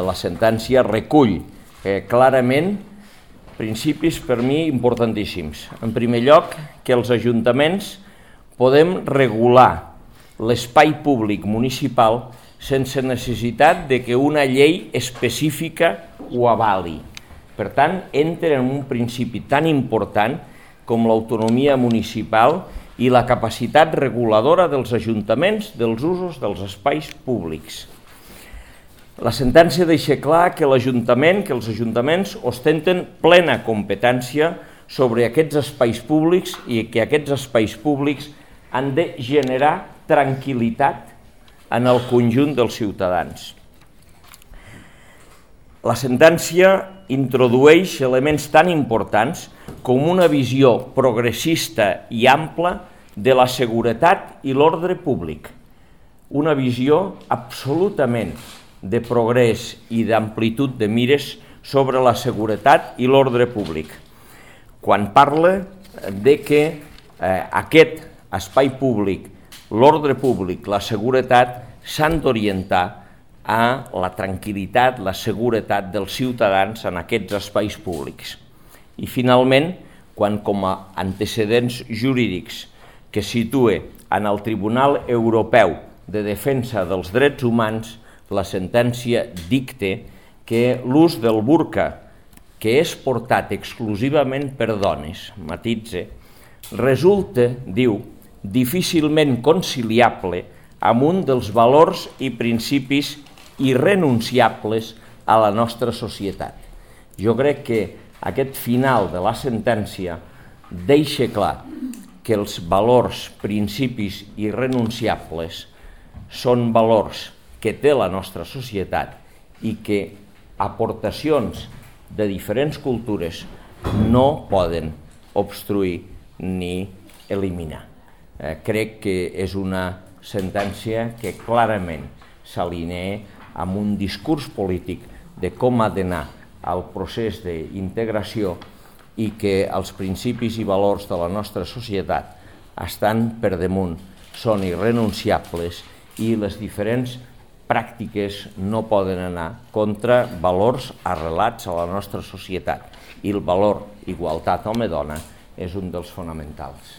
La sentència recull clarament principis per mi importantíssims. En primer lloc, que els ajuntaments podem regular l'espai públic municipal sense necessitat de que una llei específica ho avali. Per tant, entra en un principi tan important com l'autonomia municipal i la capacitat reguladora dels ajuntaments dels usos dels espais públics. La sentència deixa clar que els ajuntaments ostenten plena competència sobre aquests espais públics i que aquests espais públics han de generar tranquil·litat en el conjunt dels ciutadans. La sentència introdueix elements tan importants com una visió progressista i ampla de la seguretat i l'ordre públic, una visió absolutament de progrés i d'amplitud de mires sobre la seguretat i l'ordre públic. Quan parla de que aquest espai públic, l'ordre públic, la seguretat, s'han d'orientar a la tranquil·litat, la seguretat dels ciutadans en aquests espais públics. I finalment, quan com a antecedents jurídics que situa en el Tribunal Europeu de Defensa dels Drets Humans, la sentència dicta que l'ús del burca, que és portat exclusivament per dones, matitza, resulta, diu, difícilment conciliable amb un dels valors i principis irrenunciables a la nostra societat. Jo crec que aquest final de la sentència deixa clar que els valors, principis irrenunciables són valors que té la nostra societat i que aportacions de diferents cultures no poden obstruir ni eliminar. Crec que és una sentència que clarament s'alinea amb un discurs polític de com ha d'anar el procés d'integració i que els principis i valors de la nostra societat estan per damunt, són irrenunciables i les diferents pràctiques no poden anar contra valors arrelats a la nostra societat i el valor igualtat home-dona és un dels fonamentals.